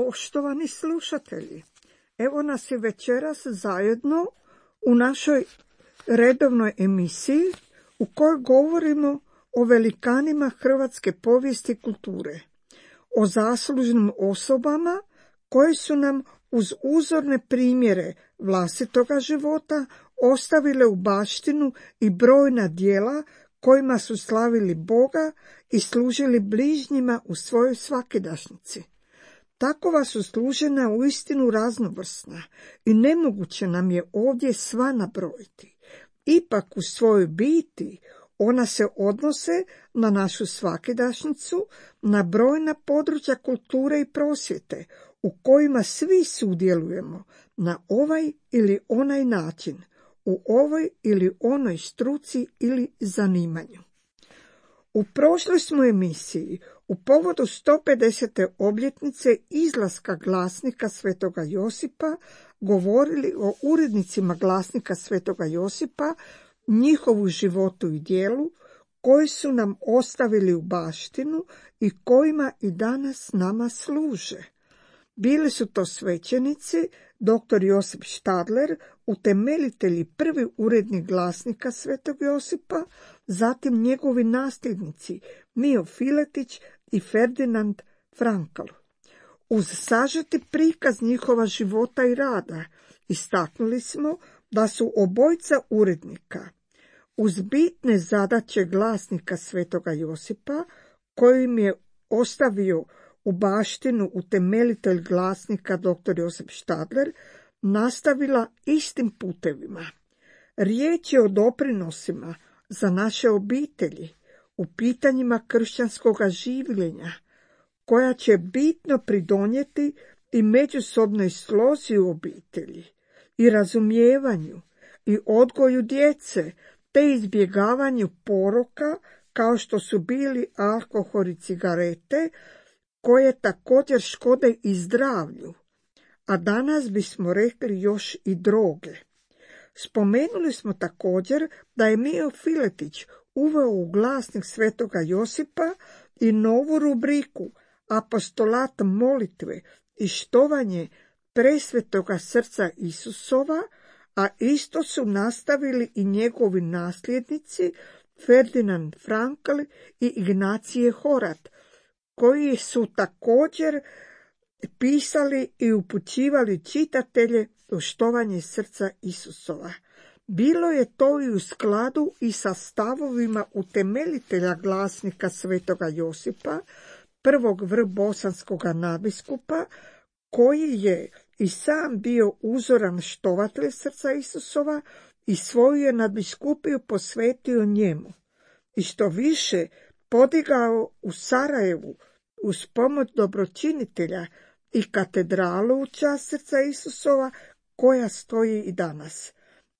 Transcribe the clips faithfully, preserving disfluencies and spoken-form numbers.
Poštovani slušatelji, evo nas je večeras zajedno u našoj redovnoj emisiji u kojoj govorimo o velikanima hrvatske povijesti i kulture, o zaslužnim osobama koje su nam uz uzorne primjere vlastitoga života ostavile u baštinu i brojna djela kojima su slavili Boga i služili bližnjima u svojoj svakidašnjici. Takova su služenja uistinu raznovrsna i nemoguće nam je ovdje sva nabrojiti. Ipak u svojoj biti ona se odnose na našu svakidašnjicu, na brojna područja kulture i prosvjete u kojima svi sudjelujemo na ovaj ili onaj način, u ovoj ili onoj struci ili zanimanju. U prošloj smo emisiji u povodu sto pedesete obljetnice izlaska glasnika Svetoga Josipa govorili o urednicima glasnika Svetoga Josipa, njihovu životu i djelu, koji su nam ostavili u baštinu i kojima i danas nama služe. Bili su to svećenici, doktor Josip Štadler, utemeljitelj i prvi urednik glasnika Svetog Josipa, zatim njegovi nasljednici Mijo Filetić i Ferdinand Frankl. Uz sažeti prikaz njihova života i rada istaknuli smo da su obojica urednika uz bitne zadaće glasnika Svetoga Josipa, kojim je ostavio u baštinu utemeljitelj glasnika doktor Josip Štadler, nastavila istim putevima. Riječ je o doprinosima za naše obitelji u pitanjima kršćanskoga življenja, koja će bitno pridonijeti i međusobnoj slozi u obitelji, i razumijevanju, i odgoju djece, te izbjegavanju poroka kao što su bili alkohol i cigarete, koje također škode i zdravlju, a danas bismo rekli još i droge. Spomenuli smo također da je Mijo Filetić uveo u glasnik Svetoga Josipa i novu rubriku Apostolat molitve i štovanje presvetoga srca Isusova, a isto su nastavili i njegovi nasljednici Ferdinand Frankl i Ignacije Horat, koji su također pisali i upućivali čitatelje u štovanje srca Isusova. Bilo je to i u skladu i sa stavovima utemeljitelja glasnika Svetoga Josipa, prvog vrbosanskoga nadbiskupa, koji je i sam bio uzoran štovatelj srca Isusova i svoju je nadbiskupiju posvetio njemu. I što više, podigao u Sarajevu uz pomoć dobročinitelja i katedralu u čast srca Isusova, koja stoji i danas,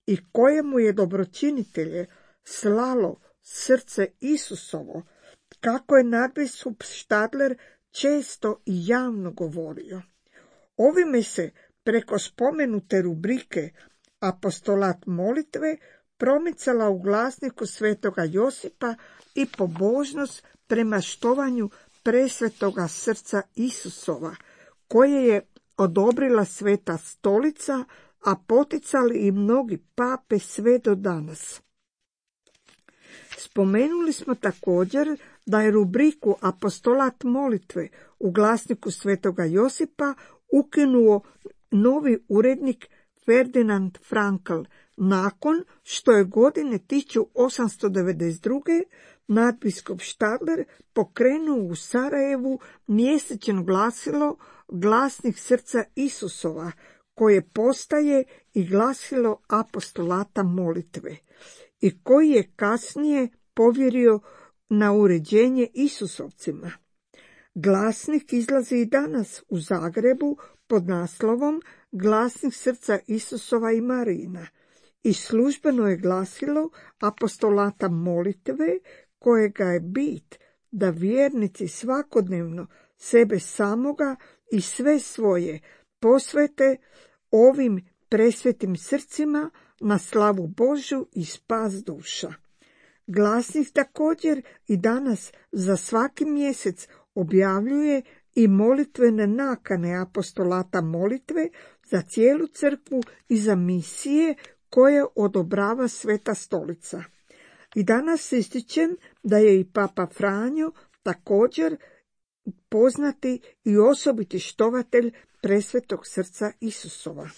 i kojemu je dobročinitelje slalo srce Isusovo, kako je nadbiskup Štadler često i javno govorio. Ovime se preko spomenute rubrike Apostolat molitve promicala u glasniku Svetoga Josipa i pobožnost prema štovanju presvetoga srca Isusova, koje je odobrila Sveta Stolica, a poticali i mnogi pape sve do danas. Spomenuli smo također da je rubriku Apostolat molitve u glasniku Svetoga Josipa ukinuo novi urednik Ferdinand Frankl, nakon što je godine tisuću osamsto devedeset druge nadbiskup Štadler pokrenuo u Sarajevu mjesečno glasilo Glasnik srca Isusova, koje postaje i glasilo apostolata molitve, i koji je kasnije povjerio na uređenje Isusovcima. Glasnik izlazi i danas u Zagrebu pod naslovom Glasnik srca Isusova i Marina i službeno je glasilo apostolata molitve, kojega je bit da vjernici svakodnevno sebe samoga i sve svoje posvete ovim presvetim srcima na slavu Božju i spas duša. Glasnik također i danas za svaki mjesec objavljuje i molitvene nakane apostolata molitve za cijelu crkvu i za misije koje odobrava Sveta Stolica. I danas ističem da je i Papa Franjo također poznati i osobiti štovatelj Presvetog srca Isusova.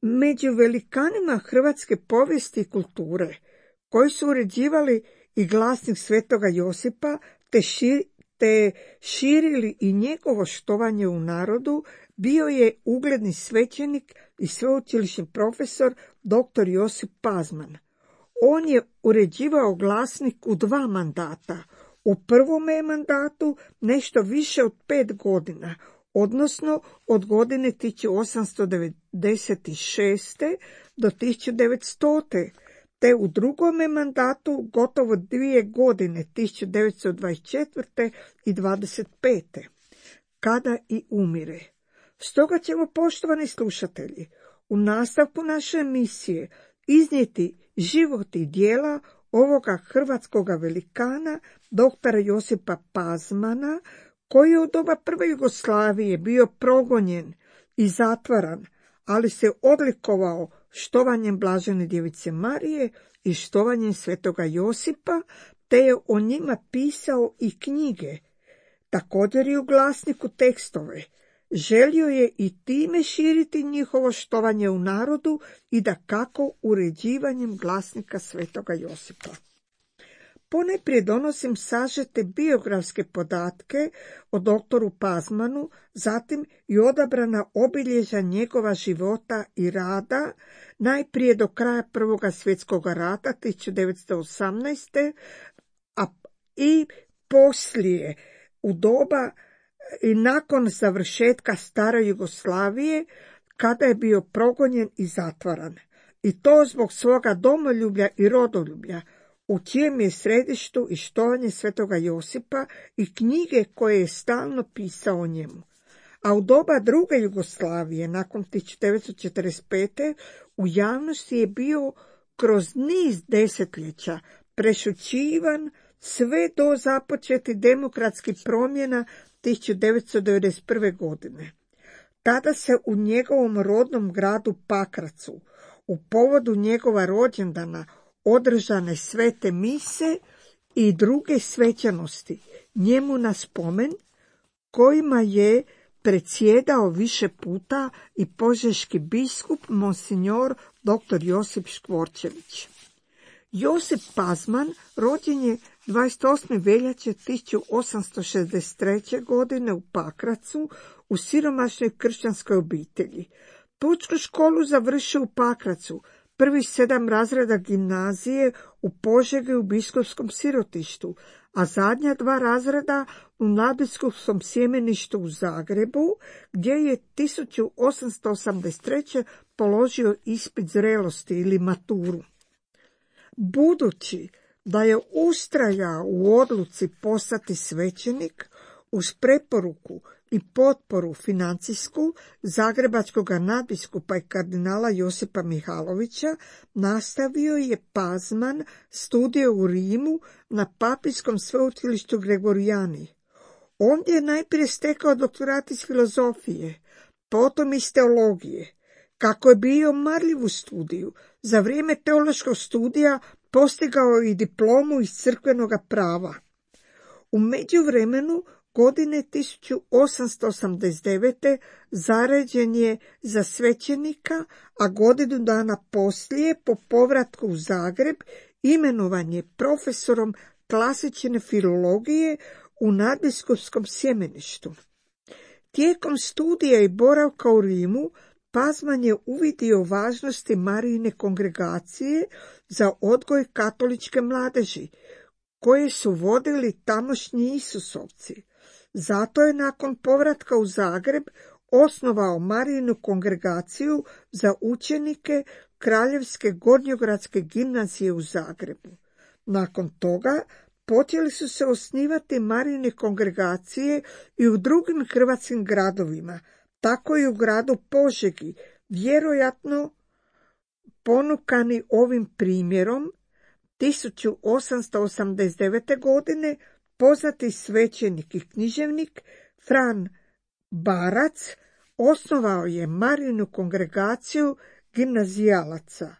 Među velikanima hrvatske povijesti i kulture, koji su uređivali i glasnik Svetoga Josipa, te, šir, te širili i njegovo štovanje u narodu, bio je ugledni svećenik i sveučilišni profesor doktor Josip Pazman. On je uređivao glasnik u dva mandata. U prvome mandatu nešto više od pet godina, odnosno od godine tisuću osamsto devedeset šeste do tisuću devetstote. Te u drugome mandatu gotovo dvije godine, tisuću devetsto dvadeset četvrte i dvadeset pete. kada i umire. Stoga ćemo, poštovani slušatelji, u nastavku naše emisije iznijeti život i djela ovoga hrvatskoga velikana, doktora Josipa Pazmana, koji je u doba prve Jugoslavije bio progonjen i zatvaran, ali se odlikovao štovanjem Blažene djevice Marije i štovanjem Svetoga Josipa, te je o njima pisao i knjige, također i u glasniku tekstove. Želio je i time širiti njihovo štovanje u narodu i dakako uređivanjem glasnika Svetoga Josipa. Ponajprije donosim sažete biografske podatke o doktoru Pazmanu, zatim i odabrana obilježja njegova života i rada, najprije do kraja Prvoga svjetskog rata tisuću devetsto osamnaeste. a i poslije u doba i nakon završetka stare Jugoslavije, kada je bio progonjen i zatvaran. I to zbog svoga domoljublja i rodoljublja, u čijem je središtu i štovanje Svetoga Josipa i knjige koje je stalno pisao o njemu. A u doba druge Jugoslavije, nakon tisuću devetsto četrdeset pete. u javnosti je bio kroz niz desetljeća prešućivan sve do započetih demokratskih promjena tisuću devetsto devedeset prve. godine. Tada se u njegovom rodnom gradu Pakracu, u povodu njegova rođendana, održane svete mise i druge svečanosti njemu na spomen, kojima je predsjedao više puta i požeški biskup monsignor doktor Josip Škvorčević. Josip Pazman rođen je dvadeset osme veljače tisuću osamsto šezdeset treće. godine u Pakracu u siromašnoj kršćanskoj obitelji. Pučku školu završio u Pakracu, prvih sedam razreda gimnazije u Požegi u biskupskom sirotištu, a zadnja dva razreda u nadbiskupskom sjemeništu u Zagrebu, gdje je tisuću osamsto osamdeset treće. položio ispit zrelosti ili maturu. Budući da je ustrajao u odluci postati svećenik, uz preporuku i potporu financijsku zagrebačkog nadbiskupa i kardinala Josipa Mihalovića, nastavio je Pazman studije u Rimu na papijskom sveučilištu Gregorijani. Ondje je najprije stekao doktorat iz filozofije, potom iz teologije. Kako je bio marljiv u studiju, za vrijeme teološkog studija postigao i diplomu iz crkvenog prava. U međuvremenu, godine tisuću osamsto osamdeset devete. zaređen je za svećenika, a godinu dana poslije, po povratku u Zagreb, imenovan je profesorom klasične filologije u nadbiskupskom sjemeništu. Tijekom studija i boravka u Rimu, Pazman je uvidio važnosti Marijine kongregacije za odgoj katoličke mladeži, koje su vodili tamošnji Isusovci. Zato je nakon povratka u Zagreb osnovao Marijinu kongregaciju za učenike Kraljevske gornjogradske gimnazije u Zagrebu. Nakon toga počeli su se osnivati Marijine kongregacije i u drugim hrvatskim gradovima, tako i u gradu Požegi, vjerojatno ponukani ovim primjerom. tisuću osamsto osamdeset devete. godine poznati svećenik i književnik Fran Barac osnovao je Marijinu kongregaciju gimnazijalaca.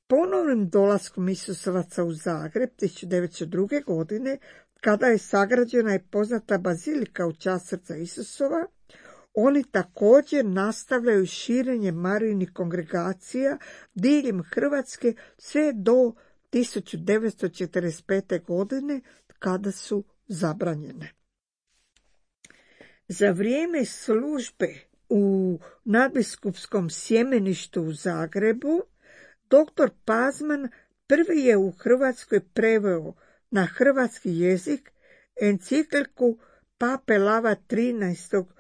Ponovnim dolaskom Isusovaca u Zagreb tisuću devetsto druge. godine, kada je sagrađena i poznata bazilika u čast srca Isusova, oni također nastavljaju širenje Marijinih kongregacija diljem Hrvatske sve do tisuću devetsto četrdeset pete. godine, kada su zabranjene. Za vrijeme službe u nadbiskupskom sjemeništu u Zagrebu, doktor Pazman prvi je u Hrvatskoj preveo na hrvatski jezik encikliku Pape Lava trinaestog.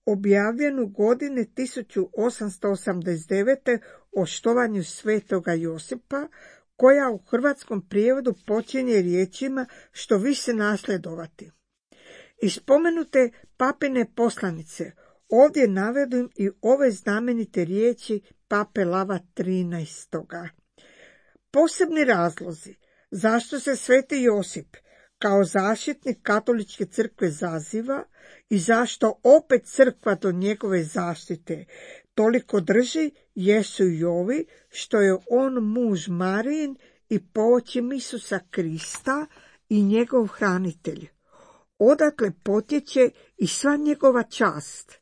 objavljenu godine tisuću osamsto osamdeset devete. o štovanju svetoga Josipa, koja u hrvatskom prijevodu počinje riječima što više nasljedovati. Iz spomenute papine poslanice ovdje navedim i ove znamenite riječi Pape Lava trinaestog. Posebni razlozi zašto se sveti Josip kao zaštitnik katoličke crkve zaziva i zašto opet crkva do njegove zaštite toliko drži jesu i ovi što je on muž Marijin i poočim Isusa Krista i njegov hranitelj. Odatle potječe i sva njegova čast.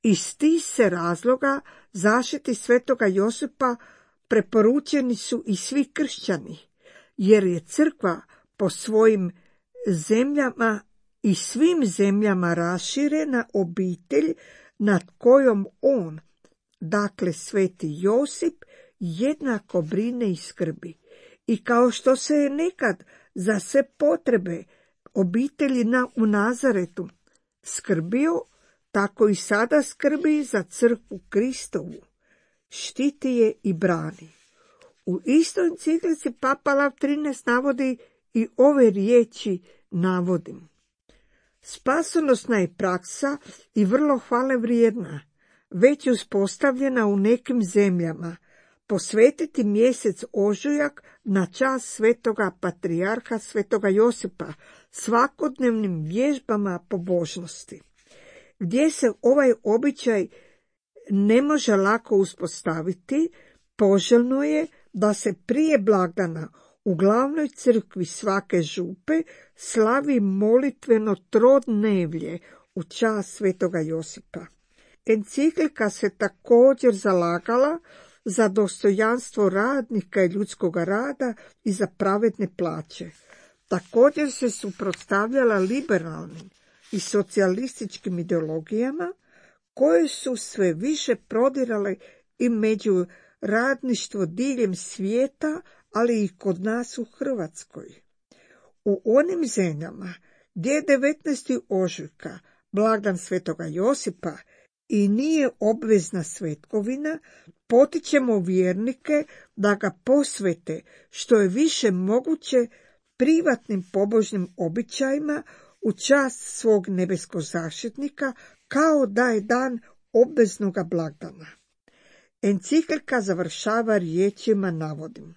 Iz tih se razloga zaštiti svetoga Josipa preporučeni su i svi kršćani, jer je crkva po svojim zemljama i svim zemljama raširena obitelj nad kojom on, dakle sveti Josip, jednako brine i skrbi. I kao što se je nekad za sve potrebe obitelji na, u Nazaretu skrbio, tako i sada skrbi za crkvu Kristovu, štiti je i brani. U istoj enciklici Papa Lav trinaesti. navodi i ove riječi navodim. Spasonosna je praksa i vrlo hvale vrijedna, već uspostavljena u nekim zemljama, posvetiti mjesec ožujak na čast svetoga patrijarha svetoga Josipa svakodnevnim vježbama pobožnosti. Gdje se ovaj običaj ne može lako uspostaviti, poželjno je da se prije blagdana u glavnoj crkvi svake župe slavi molitveno trodnevlje u čast svetoga Josipa. Enciklika se također zalagala za dostojanstvo radnika i ljudskog rada i za pravedne plaće. Također se suprotstavljala liberalnim i socijalističkim ideologijama koje su sve više prodirale i među radništvo diljem svijeta, ali i kod nas u Hrvatskoj. U onim zemljama gdje je devetnaestog ožujka blagdan svetoga Josipa i nije obvezna svetkovina, potičemo vjernike da ga posvete što je više moguće privatnim pobožnim običajima u čast svog nebeskog zaštitnika, kao da je dan obveznoga blagdana. Enciklika završava riječima navodim.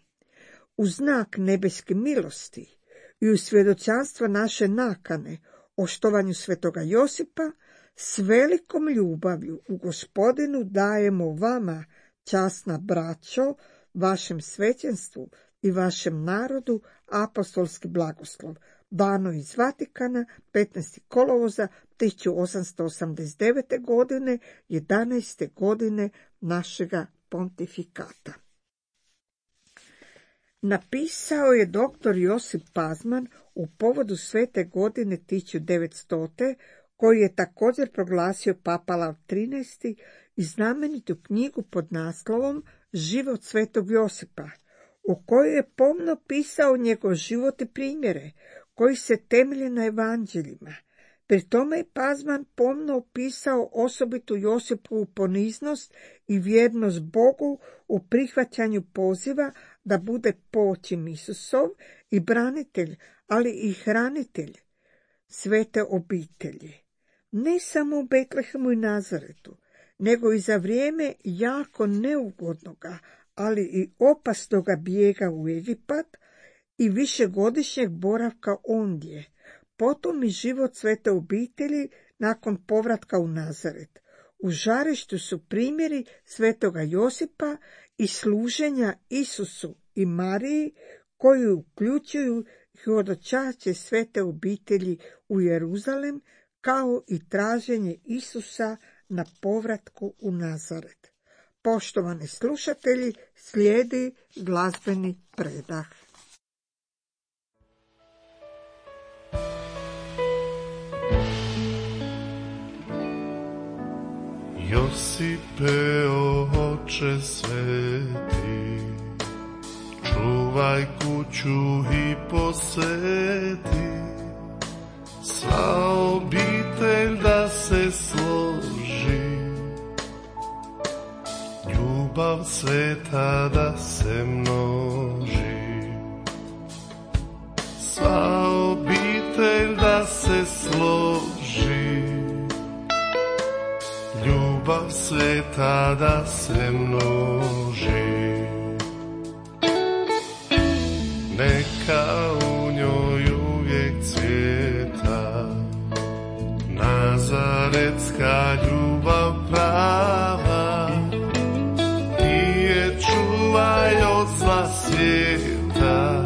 U znak nebeske milosti i u svjedočanstva naše nakane o štovanju svetoga Josipa, s velikom ljubavlju u Gospodinu dajemo vama, časna braćo, vašem svećenstvu i vašem narodu apostolski blagoslov. Dano iz Vatikana petnaestog kolovoza tisuću osamsto osamdeset devete. godine, jedanaeste godine našega pontifikata. Napisao je doktor Josip Pazman u povodu svete godine tisuću devetstote. koji je također proglasio Papa Lav trinaesti. i znamenitu knjigu pod naslovom Život svetog Josipa, u kojoj je pomno pisao njegov život i primjere, koji se temelje na evanđeljima. Pri tome je Pazman pomno opisao osobitu Josipovu poniznost i vjernost Bogu u prihvaćanju poziva da bude poočim Isusov i branitelj, ali i hranitelj svete obitelji. Ne samo u Betlehemu i Nazaretu, nego i za vrijeme jako neugodnoga, ali i opasnoga bijega u Egipat i višegodišnjeg boravka ondje, potom i život svete obitelji nakon povratka u Nazaret. U žarištu su primjeri svetoga Josipa i služenja Isusu i Mariji, koji uključuju hodočašće svete obitelji u Jeruzalem, kao i traženje Isusa na povratku u Nazaret. Poštovani slušatelji, slijedi glazbeni predah. Josipe, oče sveti, čuvaj kuću i posveti, sva obitelj da se složi, ljubav sveta da se množi, sva obitelj da se složi, ljubav sveta da se množi. Neka u njoj uvijek cvjeta nazaretska ljubav prava, ti je čuvaj od zla svijeta,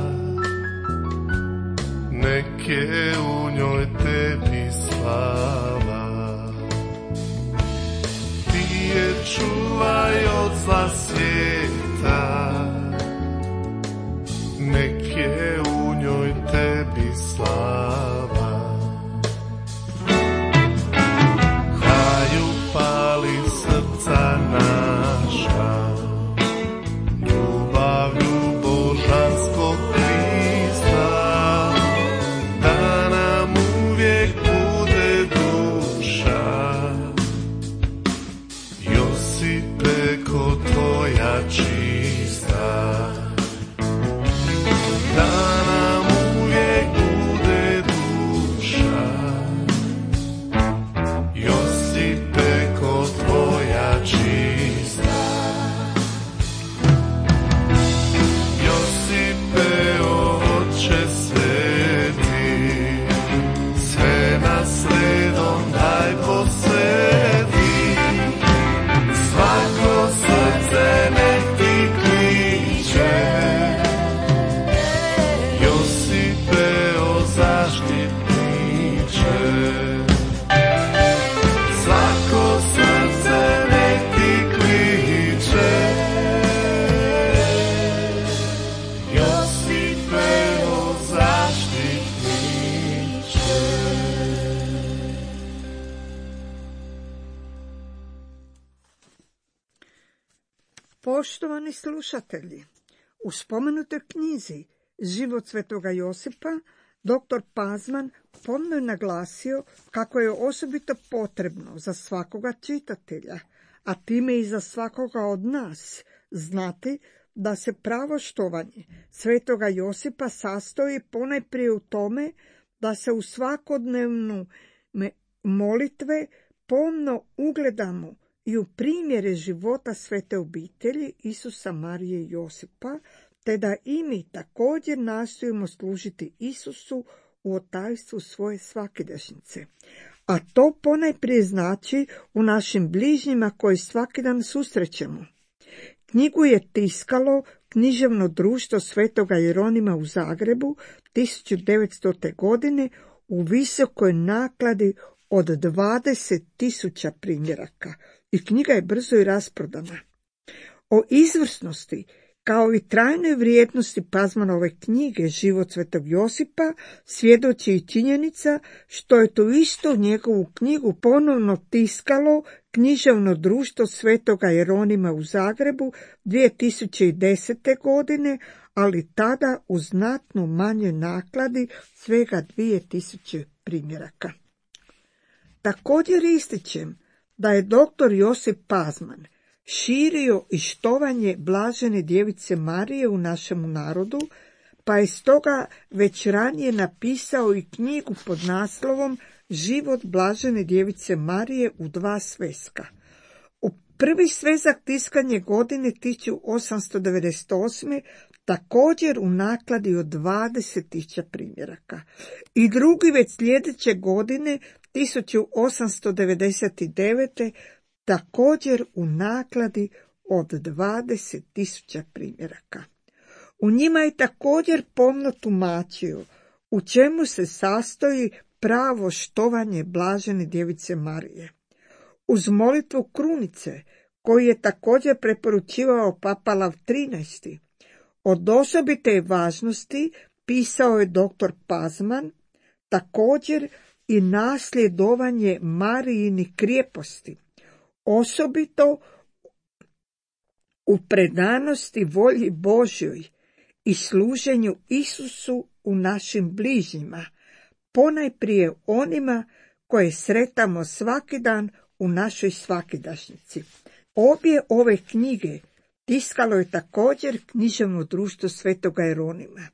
nek je u njoj tebi slava. Ti je čuvaj od zla svijeta, nek je u njoj tebi slava. Haju pali srca naša, ljubavlju božanskog Krista, da nam uvijek bude duša. Josipe, ko tvoja čista, da nam uvijek bude duša. Josipe, ko tvoja čista. Josipe, oče sveti, sve nas redom daj posveti, svako srce nek ti kliče. Svako srce nek ti kliče, Josipe, o zaštitniče. Poštovani slušatelji, u spomenutoj knjizi Život svetoga Josipa doktor Pazman pomno je naglasio kako je osobito potrebno za svakoga čitatelja, a time i za svakoga od nas, znati da se pravo štovanje svetoga Josipa sastoji ponajprije u tome da se u svakodnevnu molitve pomno ugledamo i u primjere života svete obitelji Isusa, Marije i Josipa, te da i mi također nastojimo služiti Isusu u otajstvu svoje svakidašnjice. A to ponajprije znači u našim bližnjima koji svaki dan susrećemo. Knjigu je tiskalo Književno društvo svetoga Jeronima u Zagrebu tisuću devetstote. godine u visokoj nakladi od dvadeset tisuća primjeraka i knjiga je brzo i rasprodana. O izvrsnosti kao i trajnoj vrijednosti Pazmanove knjige Život svetog Josipa svjedoči i činjenica što je tu isto njegovu knjigu ponovno tiskalo Književno društvo svetoga Jeronima u Zagrebu dvije tisuće desete. godine, ali tada u znatno manjoj nakladi, svega dvije tisuće primjeraka. Također ističem da je doktor Josip Pazman širio i štovanje blažene djevice Marije u našemu narodu, pa je stoga već ranije napisao i knjigu pod naslovom Život blažene djevice Marije u dva sveska. U prvi svezak tiskanje godine tisuću osamsto devedeset osme također u nakladi od dvadeset tisuća primjeraka. I drugi već sljedeće godine tisuću osamsto devedeset devete također u nakladi od dvadeset tisuća primjeraka. U njima je također pomno tumačio u čemu se sastoji pravo štovanje blažene djevice Marije. Uz molitvu krunice, koju je također preporučivao Papa Lav trinaesti, od osobite važnosti pisao je doktor Pazman, također i nasljedovanje Marijini krijeposti, osobito u predanosti volji Božjoj i služenju Isusu u našim bližnjima, ponajprije onima koje sretamo svaki dan u našoj svakidašnjici. Obje ove knjige tiskalo je također književno društvo Svetoga Jeronima.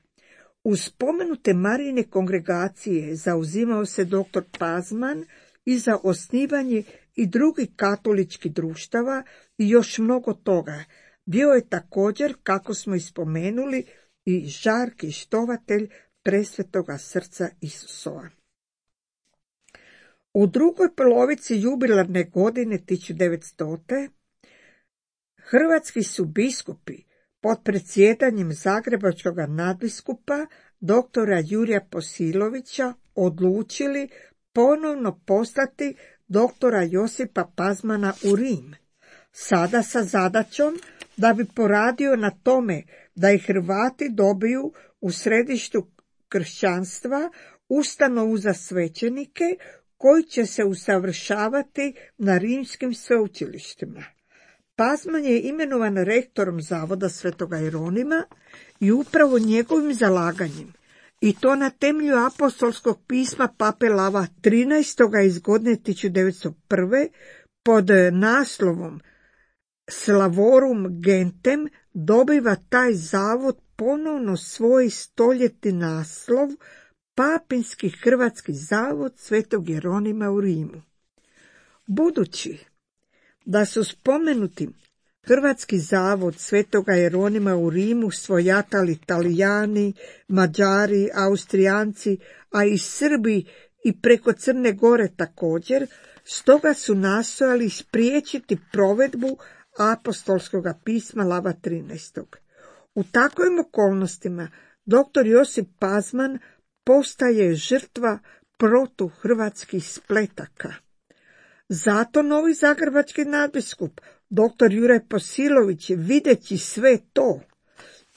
Uz spomenute Marijine kongregacije zauzimao se doktor Pazman i za osnivanje i drugih katoličkih društava i još mnogo toga. Bio je također, kako smo ispomenuli, i žarki štovatelj presvetoga srca Isusova. U drugoj polovici jubilarne godine tisuću devetsto. hrvatski su biskupi pod predsjedanjem zagrebačkog nadbiskupa doktora Jurija Posilovića odlučili ponovno poslati doktora Josipa Pazmana u Rim, sada sa zadaćom da bi poradio na tome da i Hrvati dobiju u središtu kršćanstva ustanovu za svećenike koji će se usavršavati na rimskim sveučilištima. Pazman je imenovan rektorom Zavoda Svetoga Jeronima i upravo njegovim zalaganjem, i to na temelju apostolskog pisma Pape Lava trinaestog iz godine tisuću devetsto prve pod naslovom Slavorum Gentem, dobiva taj zavod ponovno svoj stoljetni naslov Papinski hrvatski zavod Svetog Jeronima u Rimu. Budući da su spomenuti Hrvatski zavod Svetoga Jeronima u Rimu svojatali Talijani, Mađari, Austrijanci, a i Srbi i preko Crne Gore također, stoga su nastojali spriječiti provedbu apostolskog pisma Lava trinaestog. U takvim okolnostima doktor Josip Pazman postaje žrtva protuhrvatskih spletaka. Zato novi zagrebački nadbiskup, doktor Juraj Posilović, videći sve to,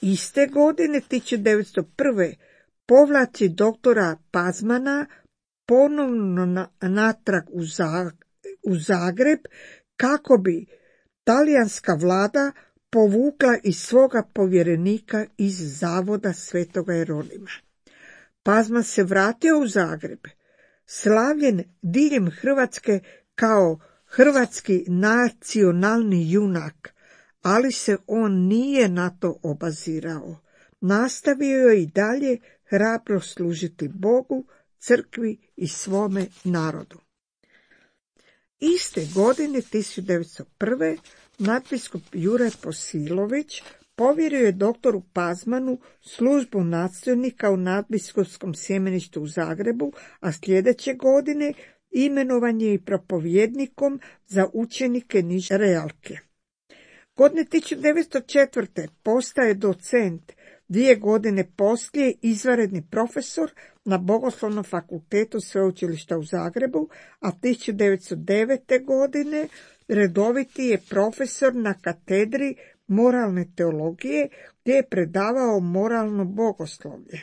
iste godine tisuću devetsto prve povlači doktora Pazmana ponovno na, natrag u, Zag, u Zagreb kako bi talijanska vlada povukla iz svoga povjerenika iz Zavoda Svetoga Jeronima. Pazman se vratio u Zagreb, slavljen diljem Hrvatske kao hrvatski nacionalni junak, ali se on nije na to obazirao. Nastavio je i dalje hrabro služiti Bogu, crkvi i svome narodu. Iste godine tisuću devetsto prve nadbiskup Juraj Posilović povjerio je doktoru Pazmanu službu nadstojnika u nadbiskupskom sjemeništu u Zagrebu, a sljedeće godine imenovan je i propovjednikom za učenike niže realke. Godine tisuću devetsto četvrte postaje docent, dvije godine poslije izvanredni profesor na Bogoslovnom fakultetu Sveučilišta u Zagrebu, a tisuću devetsto devete. godine redoviti je profesor na katedri moralne teologije, gdje je predavao moralno bogoslovlje.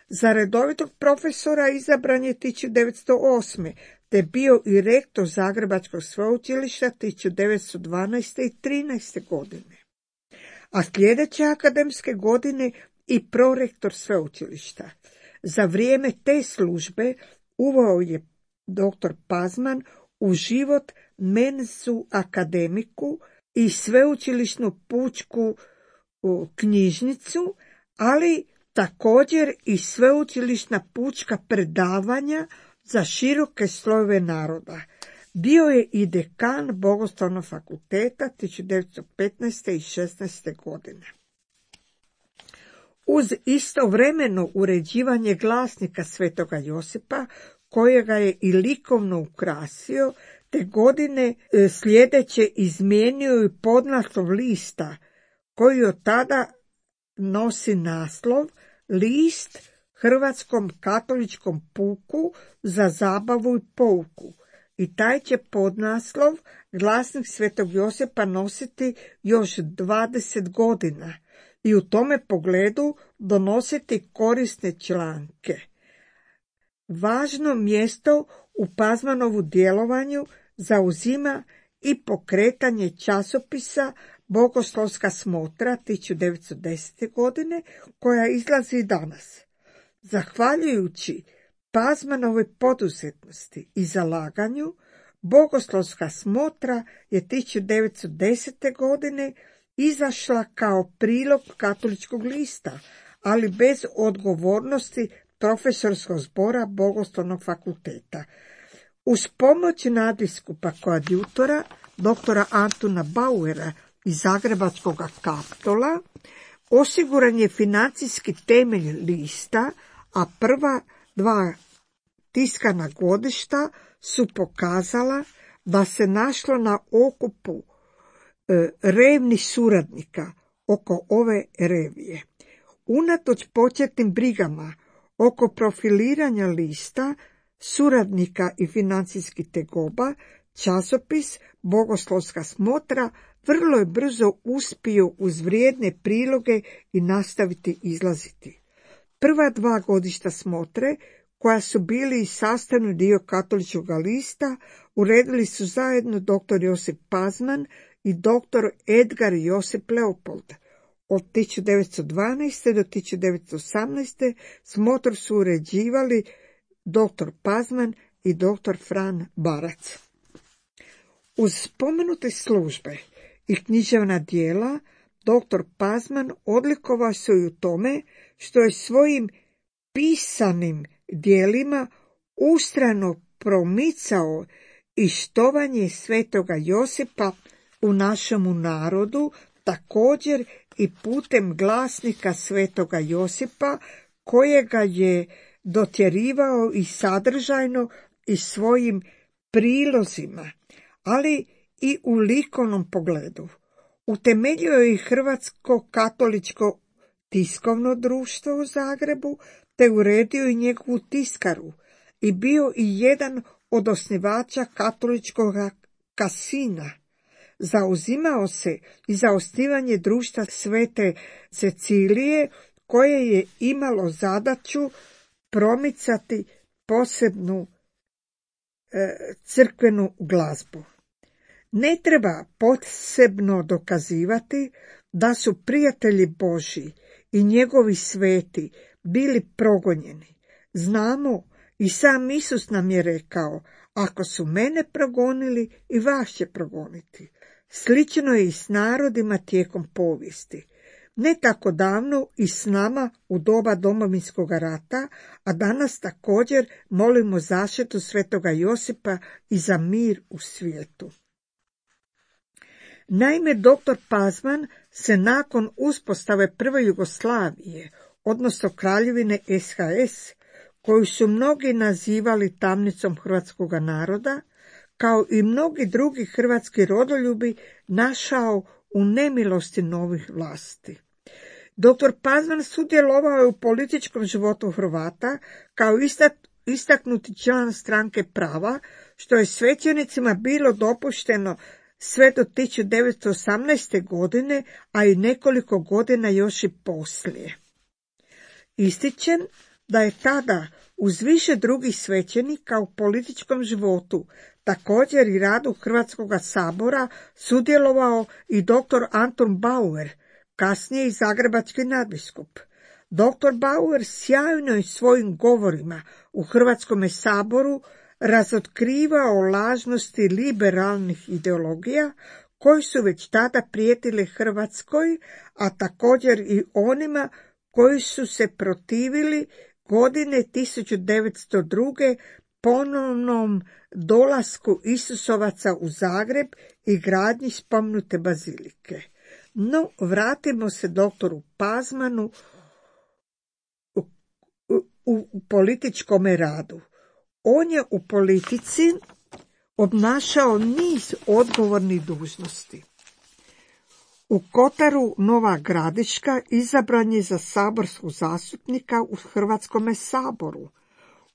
Za redovitog profesora izabran je tisuću devetsto osme. te bio i rektor Zagrebačkog sveučilišta tisuću devetsto dvanaeste. i trinaeste. godine. A sljedeće akademske godine i prorektor sveučilišta. Za vrijeme te službe uveo je doktor Pazman u život mensu akademiku i sveučilišnu pučku knjižnicu, ali također i sveučilišna pučka predavanja za široke slojeve naroda. Bio je i dekan Bogoslovnog fakulteta tisuću devetsto petnaeste i šesnaeste godine. Uz istovremeno uređivanje glasnika Svetoga Josipa, kojega je i likovno ukrasio, te godine sljedeće izmijenio i podnaslov lista, koji od tada nosi naslov List Hrvatskom katoličkom puku za zabavu i pouku. I taj će podnaslov glasnik Svetog Josipa nositi još dvadeset godina i u tome pogledu donositi korisne članke. Važno mjesto u Pazmanovu djelovanju zauzima i pokretanje časopisa Bogoslovska smotra tisuću devetsto desete. godine, koja izlazi danas. Zahvaljujući Pazmanovoj poduzetnosti i zalaganju, Bogoslovska smotra je tisuću devetsto desete. godine izašla kao prilog katoličkog lista, ali bez odgovornosti profesorskog zbora Bogoslovnog fakulteta. Uz pomoć nadbiskupa koadjutora, doktora Antuna Bauera iz Zagrebačkog Kaptola, osiguran je financijski temelj lista, a prva dva tiskana godišta su pokazala da se našlo na okupu e, revnih suradnika oko ove revije. Unatoč početnim brigama oko profiliranja lista, suradnika i financijskih tegoba, časopis Bogoslovska smotra vrlo je brzo uspio uz vrijedne priloge i nastaviti izlaziti. Prva dva godišta smotre, koja su bili i sastavni dio katoličkog lista, uredili su zajedno doktor Josip Pazman i doktor Edgar Josip Leopold. Od tisuću devetsto dvanaeste. do tisuću devetsto osamnaeste. smotru su uređivali doktor Pazman i doktor Fran Barac. Uz spomenute službe i književna djela, doktor Pazman odlikovao se i u tome što je svojim pisanim djelima ustrajno promicao i štovanje Svetoga Josipa u našemu narodu, također i putem glasnika Svetoga Josipa, kojega je dotjerivao i sadržajno i svojim prilozima, ali i u likovnom pogledu. Utemeljio je i Hrvatsko katoličko tiskovno društvo u Zagrebu, te uredio i njegovu tiskaru i bio i jedan od osnivača katoličkog kasina. Zauzimao se i za osnivanje društva Svete Cecilije, koje je imalo zadaću promicati posebnu e, crkvenu glazbu. Ne treba posebno dokazivati da su prijatelji Božji i njegovi sveti bili progonjeni. Znamo, i sam Isus nam je rekao, ako su mene progonili, i vas će progoniti. Slično je i s narodima tijekom povijesti. Ne tako davno i s nama u doba Domovinskog rata, a danas također molimo zaštitu Svetoga Josipa i za mir u svijetu. Naime, doktor Pazman se nakon uspostave prve Jugoslavije, odnosno Kraljevine S H S, koju su mnogi nazivali tamnicom hrvatskog naroda, kao i mnogi drugi hrvatski rodoljubi, našao u nemilosti novih vlasti. Doktor Pazman sudjelovao je u političkom životu Hrvata kao istaknuti član stranke Prava, što je svećenicima bilo dopušteno sve do tisuću devetsto osamnaeste. godine, a i nekoliko godina još i poslije. Ističem da je tada uz više drugih svećenika u političkom životu, također i radu Hrvatskog sabora, sudjelovao i doktor Anton Bauer, kasnije i zagrebački nadbiskup. Doktor Bauer sjajno je svojim govorima u Hrvatskom saboru razotkrivao lažnosti liberalnih ideologija koji su već tada prijetile Hrvatskoj, a također i onima koji su se protivili godine tisuću devetsto druge. ponovnom dolasku Isusovaca u Zagreb i gradnji spomenute bazilike. No, vratimo se doktoru Pazmanu u, u, u političkom radu. On je u politici obnašao niz odgovornih dužnosti. U Kotaru Nova Gradiška izabran je za saborskog zastupnika u Hrvatskome saboru.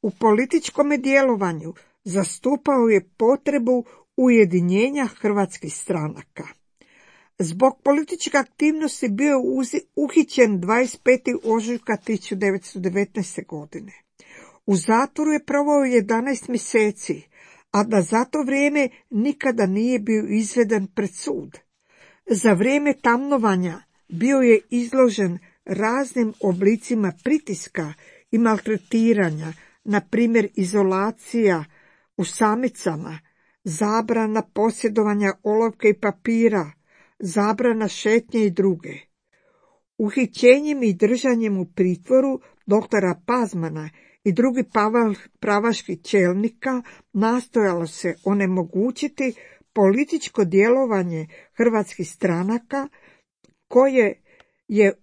U političkom djelovanju zastupao je potrebu ujedinjenja hrvatskih stranaka. Zbog političke aktivnosti bio je uhićen dvadeset petog ožujka tisuću devetsto devetnaeste. godine. U zatvoru je proveo jedanaest mjeseci, a da za to vrijeme nikada nije bio izveden pred sud. Za vrijeme tamnovanja bio je izložen raznim oblicima pritiska i maltretiranja, na primjer izolacija u samicama, zabrana posjedovanja olovke i papira, zabrana šetnje i druge. Uhićenjem i držanjem u pritvoru doktora Pazmana i drugih pravaških čelnika nastojalo se onemogućiti političko djelovanje hrvatskih stranaka koje, je,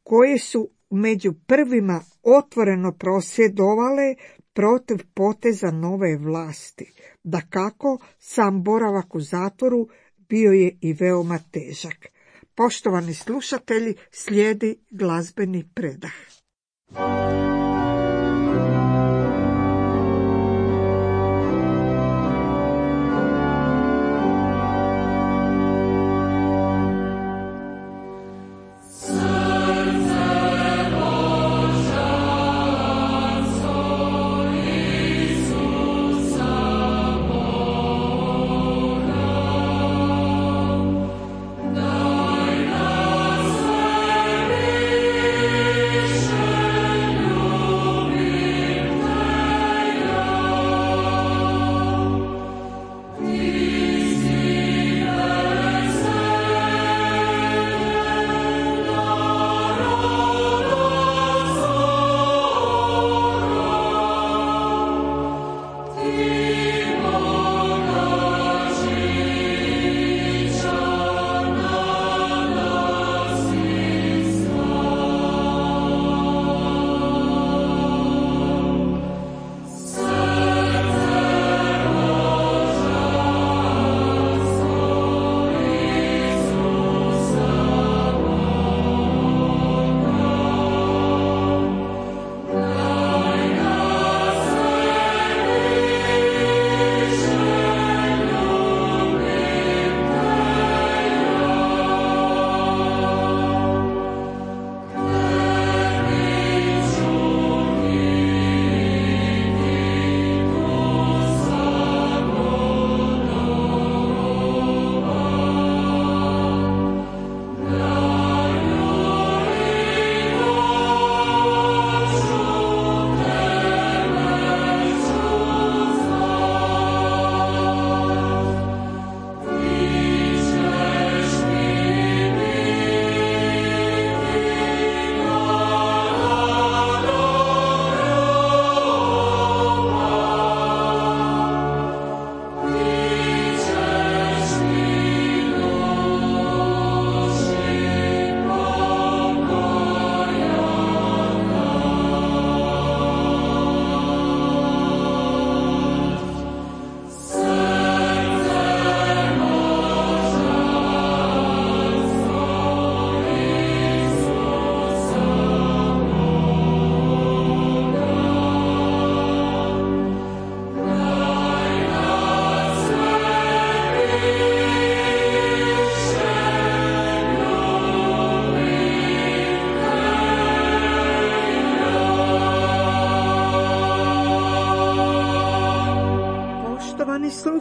koje su među prvima otvoreno prosvjedovale protiv poteza nove vlasti. Dakako, sam boravak u zatvoru bio je i veoma težak. Poštovani slušatelji, slijedi glazbeni predah.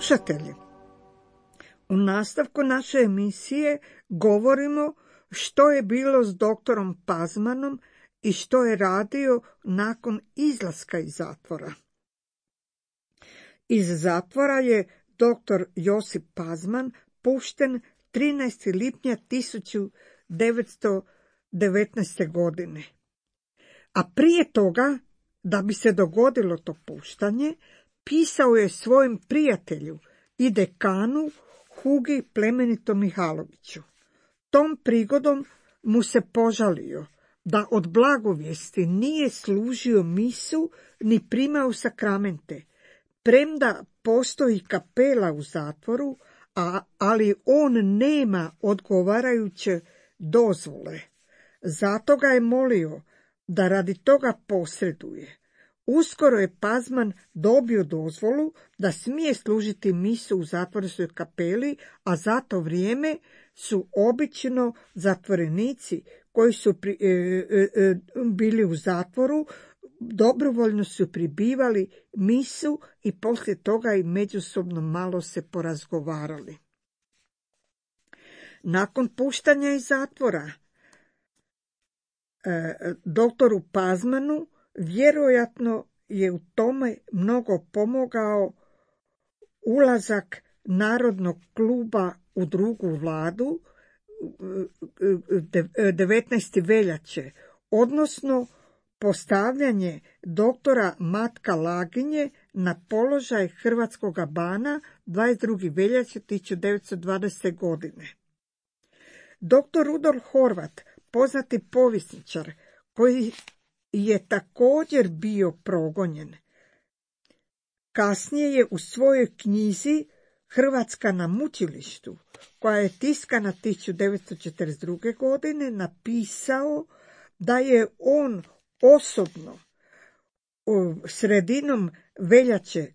Slušatelji, u nastavku naše emisije govorimo što je bilo s doktorom Pazmanom i što je radio nakon izlaska iz zatvora. Iz zatvora je doktor Josip Pazman pušten trinaestog lipnja tisuću devetsto devetnaeste. godine. A prije toga, da bi se dogodilo to puštanje, pisao je svojim prijatelju i dekanu Hugi Plemenitom Mihaloviću. Tom prigodom mu se požalio da od blagovijesti nije služio misu ni primao sakramente, premda postoji kapela u zatvoru, a, ali on nema odgovarajuće dozvole. Zato ga je molio da radi toga posreduje. Uskoro je Pazman dobio dozvolu da smije služiti misu u zatvorskoj kapeli, a za to vrijeme su obično zatvorenici koji su pri, e, e, e, bili u zatvoru dobrovoljno su pribivali misu i poslije toga i međusobno malo se porazgovarali. Nakon puštanja iz zatvora e, doktoru Pazmanu vjerojatno je u tome mnogo pomogao ulazak Narodnog kluba u drugu vladu devetnaestog veljače, odnosno postavljanje doktora Matka Laginje na položaj hrvatskog bana dvadeset druge veljače tisuću devetsto dvadesete. godine. Doktor Rudolf Horvat, poznati povjesničar, koji je također bio progonjen, kasnije je u svojoj knjizi Hrvatska na mučilištu, koja je tiskana tisuću devetsto četrdeset druge. godine, napisao da je on osobno sredinom veljače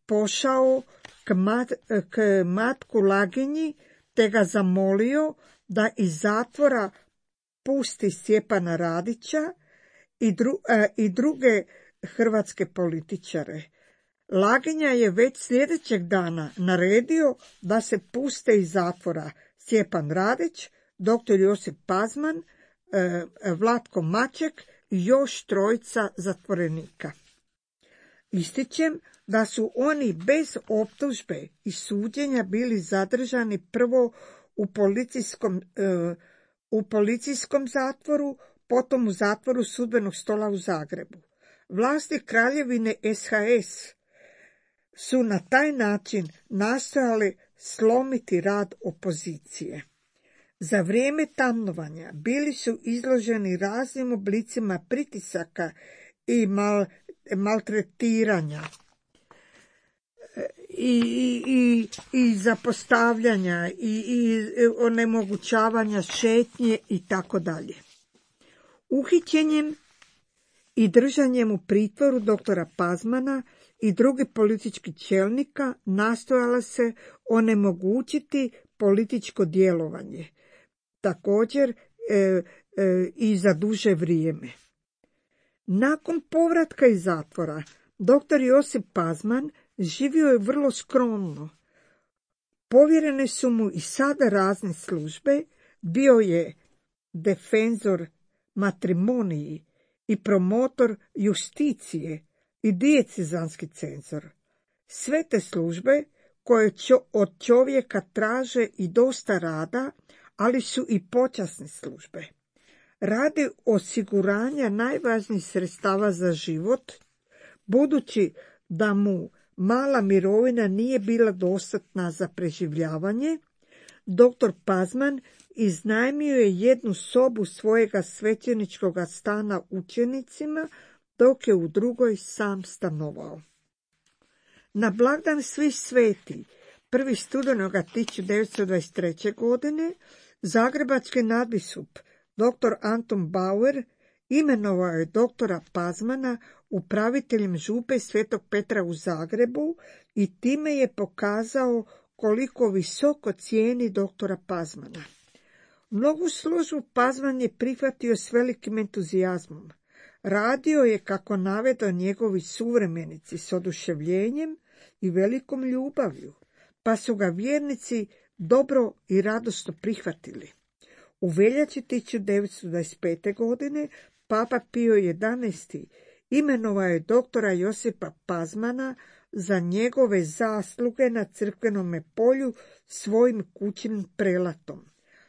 pošao k, mat, k Matku Laginji te ga zamolio da iz zatvora pusti Stjepana Radića i, dru, a, i druge hrvatske političare. Laginja je već sljedećeg dana naredio da se puste iz zatvora Stjepan Radić, doktor Josip Pazman, e, Vlatko Maček i još trojica zatvorenika. Ističem da su oni bez optužbe i suđenja bili zadržani prvo u policijskom, e, u policijskom zatvoru, potom u zatvoru Sudbenog stola u Zagrebu. Vlasti Kraljevine S H S su na taj način nastojali slomiti rad opozicije. Za vrijeme tamnovanja bili su izloženi raznim oblicima pritisaka i mal, maltretiranja i, i, i, i zapostavljanja i, i onemogućavanja šetnje i tako dalje. Uhićenjem i držanjem u pritvoru doktora Pazmana i drugih političkih čelnika nastojala se onemogućiti političko djelovanje, također e, e, i za duže vrijeme. Nakon povratka iz zatvora, doktor Josip Pazman živio je vrlo skromno. Povjerene su mu i sada razne službe, bio je defenzor matrimoniji i promotor justicije i diecezanski cenzor. Sve te službe koje od čovjeka traže i dosta rada, ali su i počasne službe. Radi osiguranja najvažnijih sredstava za život, budući da mu mala mirovina nije bila dostatna za preživljavanje, doktor Pazman iznajmio je jednu sobu svojega svećeničkog stana učenicima, dok je u drugoj sam stanovao. Na blagdan Svih sveti, prvog studenoga tisuću devetsto dvadeset treće. godine, zagrebački nadbiskup doktor Anton Bauer imenovao je doktora Pazmana upraviteljem župe Svetog Petra u Zagrebu i time je pokazao koliko visoko cijeni doktora Pazmana. Mnogu službu Pazman je prihvatio s velikim entuzijazmom. Radio je, kako navedo njegovi suvremenici, s oduševljenjem i velikom ljubavlju, pa su ga vjernici dobro i radosno prihvatili. U veljači tisuću devetsto dvadeset pete. godine Papa Pio jedanaesti. imenovao je doktora Josipa Pazmana za njegove zasluge na crkvenome polju svojim kućnim prelatom.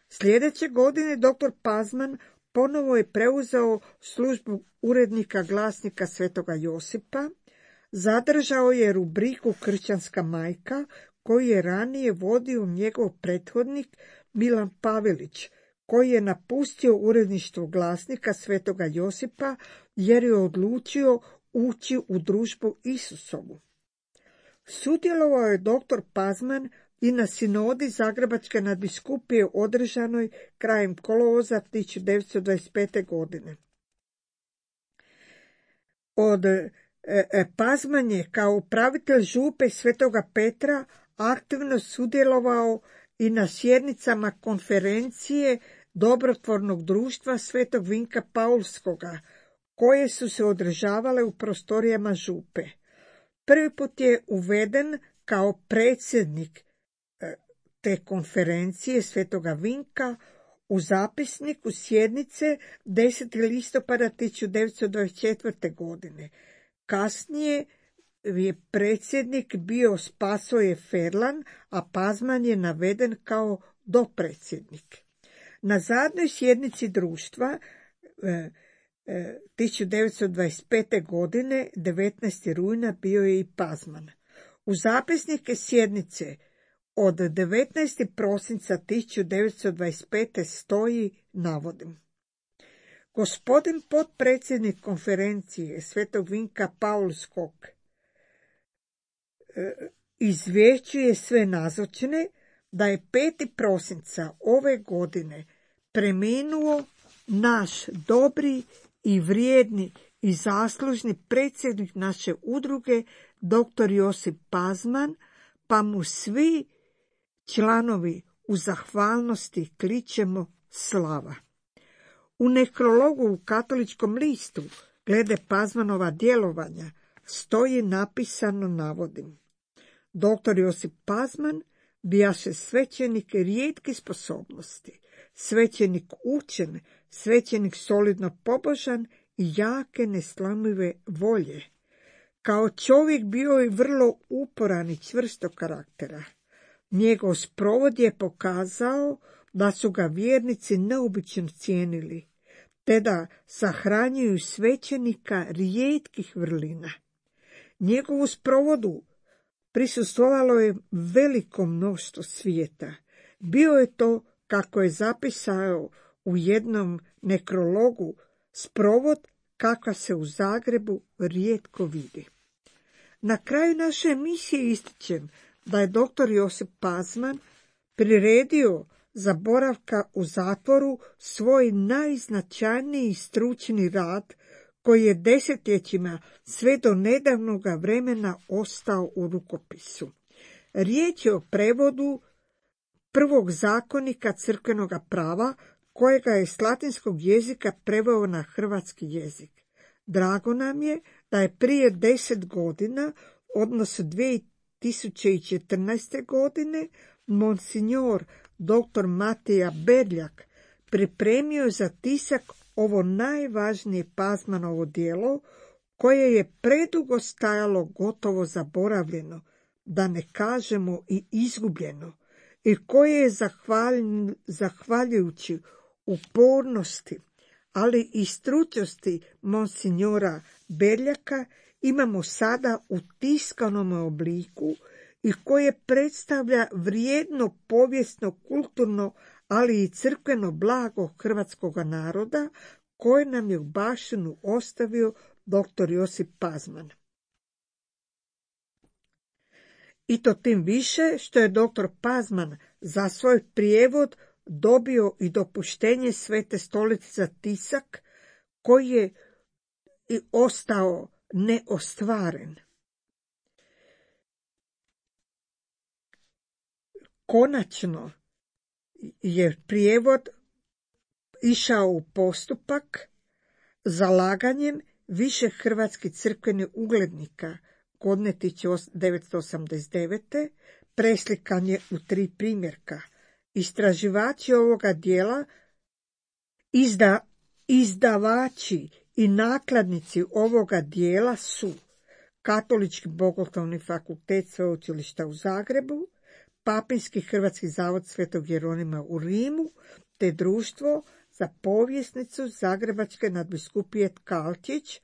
Sljedeće godine doktor Pazman ponovo je preuzeo službu urednika glasnika Svetoga Josipa, Zadržao je rubriku Kršćanska majka, koju je ranije vodio njegov prethodnik Milan Pavelić, koji je napustio uredništvo Glasnika Svetoga Josipa jer je odlučio ući u družbu Isusovu. Sudjelovao je doktor Pazman i na sinodi Zagrebačke nadbiskupije održanoj krajem kolovoza tisuću devetsto dvadeset pete. godine. Od e, e, Pazman je kao upravitelj župe Svetoga Petra aktivno sudjelovao i na sjednicama konferencije Dobrotvornog društva Svetog Vinka Paulskoga, koje su se održavale u prostorijama župe. Prvi put je uveden kao predsjednik te konferencije Svetoga Vinka u zapisniku sjednice desetog listopada tisuću devetsto dvadeset četvrte. godine. Kasnije je predsjednik bio Spasoje Ferlan, a Pazman je naveden kao dopredsjednik. Na zadnjoj sjednici društva e, e, tisuću devetsto dvadeset pete. godine, devetnaestog rujna, bio je i Pazman. U zapisnike sjednice od devetnaestog prosinca tisuću devetsto dvadeset pete. stoji, navodim: Gospodin potpredsjednik konferencije Svetog Vinka Paulskog izvješćuje sve nazočne da je petog prosinca ove godine preminuo naš dobri i vrijedni i zaslužni predsjednik naše udruge, doktor Josip Pazman, pa mu svi članovi u zahvalnosti kličemo slava. U nekrologu u Katoličkom listu glede Pazmanova djelovanja stoji napisano, navodim: Doktor Josip Pazman bijaše svećenik rijetkih sposobnosti, svećenik učen, svećenik solidno pobožan i jake neslomive volje. Kao čovjek bio je vrlo uporan i čvrstog karaktera. Njegov sprovod je pokazao da su ga vjernici neobično cijenili, te da sahranjuju svećenika rijetkih vrlina. Njegovu sprovodu prisustvovalo je veliko mnoštvo svijeta. Bio je to, kako je zapisao u jednom nekrologu, sprovod kakva se u Zagrebu rijetko vidi. Na kraju naše emisije ističem da je doktor Josip Pazman priredio za boravka u zatvoru svoj najznačajniji stručni rad, koji je desetljećima sve do nedavnoga vremena ostao u rukopisu. Riječ je o prevodu prvog zakonika crkvenoga prava, kojega je s latinskog jezika preveo na hrvatski jezik. Drago nam je da je prije deset godina, odnosno dvije tisuće četrnaeste. godine, monsignor doktor Matija Berljak pripremio za tisak ovo najvažnije Pazmanovo djelo, koje je predugo stajalo gotovo zaboravljeno, da ne kažemo i izgubljeno, i koje je zahvaljujući upornosti, ali i stručnosti monsignora Berljaka imamo sada u tiskanom obliku i koje predstavlja vrijedno povijesno, kulturno, ali i crkveno blago hrvatskog naroda, koje nam je u baštinu ostavio doktor Josip Pazman. I to tim više što je doktor Pazman za svoj prijevod dobio i dopuštenje Svete stolice za tisak, koji je i ostao neostvaren. Konačno je prijevod išao u postupak zalaganjem više hrvatskih crkvenih uglednika godine tisuću devetsto osamdeset devete. preslikan je u tri primjerka. Istraživači ovoga dijela, izda, izdavači i nakladnici ovoga dijela su Katolički bogoslovni fakultet Sveučilišta u Zagrebu, Papinski Hrvatski zavod Svetog Jeronima u Rimu, te Društvo za povjesnicu Zagrebačke nadbiskupije Tkalčić,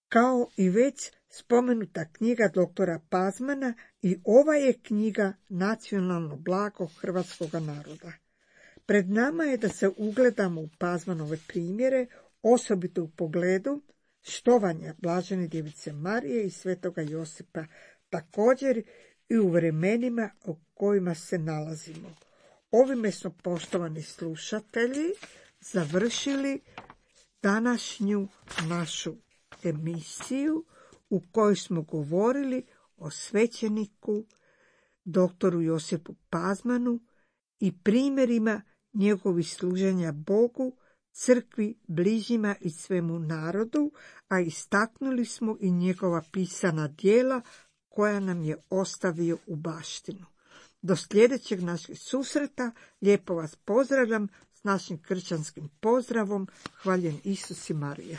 kao i već spomenuta knjiga doktora Pazmana i ova je knjiga nacionalno blago hrvatskog naroda. Pred nama je da se ugledamo u Pazmanove primjere, osobito u pogledu štovanja Blažene djevice Marije i svetoga Josipa, također i u vremenima u kojima se nalazimo. Ovime smo, poštovani slušatelji, završili današnju našu emisiju u kojoj smo govorili o svećeniku doktoru Josipu Pazmanu i primjerima njegovih služenja Bogu, crkvi, bližnjima i svemu narodu, a istaknuli smo i njegova pisana djela koja nam je ostavio u baštinu. Do sljedećeg našeg susreta lijepo vas pozdravljam s našim kršćanskim pozdravom. Hvaljen Isus i Marija.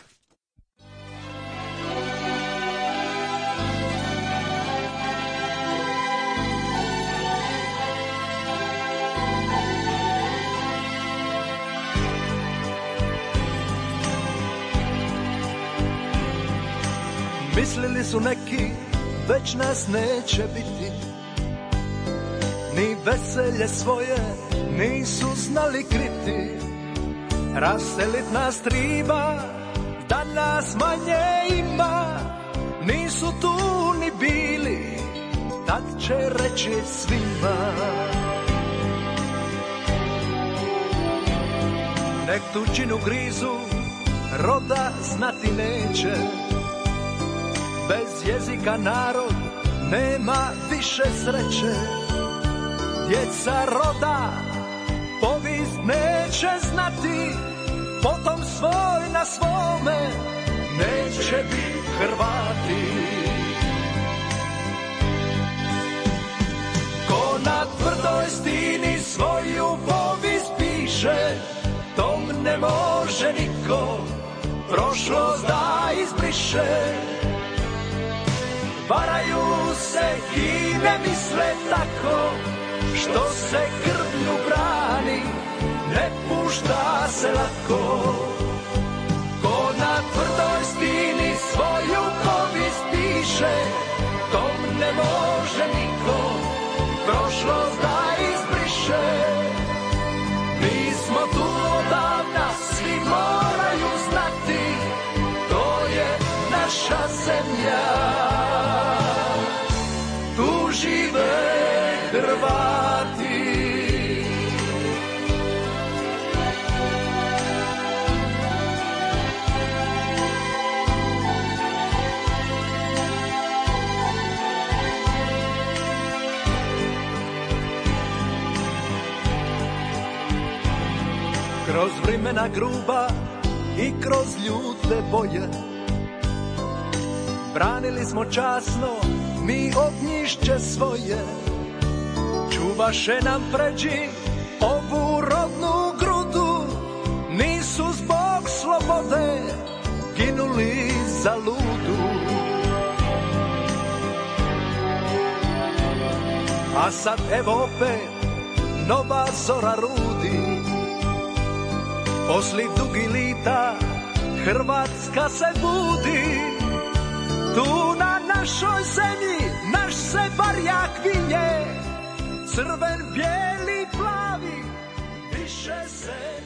Mislili su neki, već nas neće biti, ni veselje svoje nisu znali kriti. Raselit nas triba, da nas manje ima, nisu tu ni bili, tad će reći svima. Nek tuđinu grizu, roda znati neće, bez jezika narod nema više sreće. Djeca roda povijest neće znati, potom svoj na svome neće biti Hrvati. Ko na tvrdoj stini svoju povijest piše, tom ne može niko prošlost da izbriše. Varaju se i ne misle tako, što se krvlju brani, ne pušta se lako. Ko na tvrdoj stini svoju povijest piše, tom ne može niko prošlost da izbriše. Mi smo tu odavna, svi moraju znati, to je naša zemlja. Tu žive Hrvati. Kroz vremena gruba i kroz ljute boje, branili smo časno mi ognjišće svoje. Čuvaše nam pređi ovu rodnu grudu, nisu zbog slobode ginuli za ludu. A sad evo opet nova zora rudi, posli dugi lita Hrvatska se budi. Tu na našoj zemlji naš se barjak vinje, crven, bijeli, plavi, više se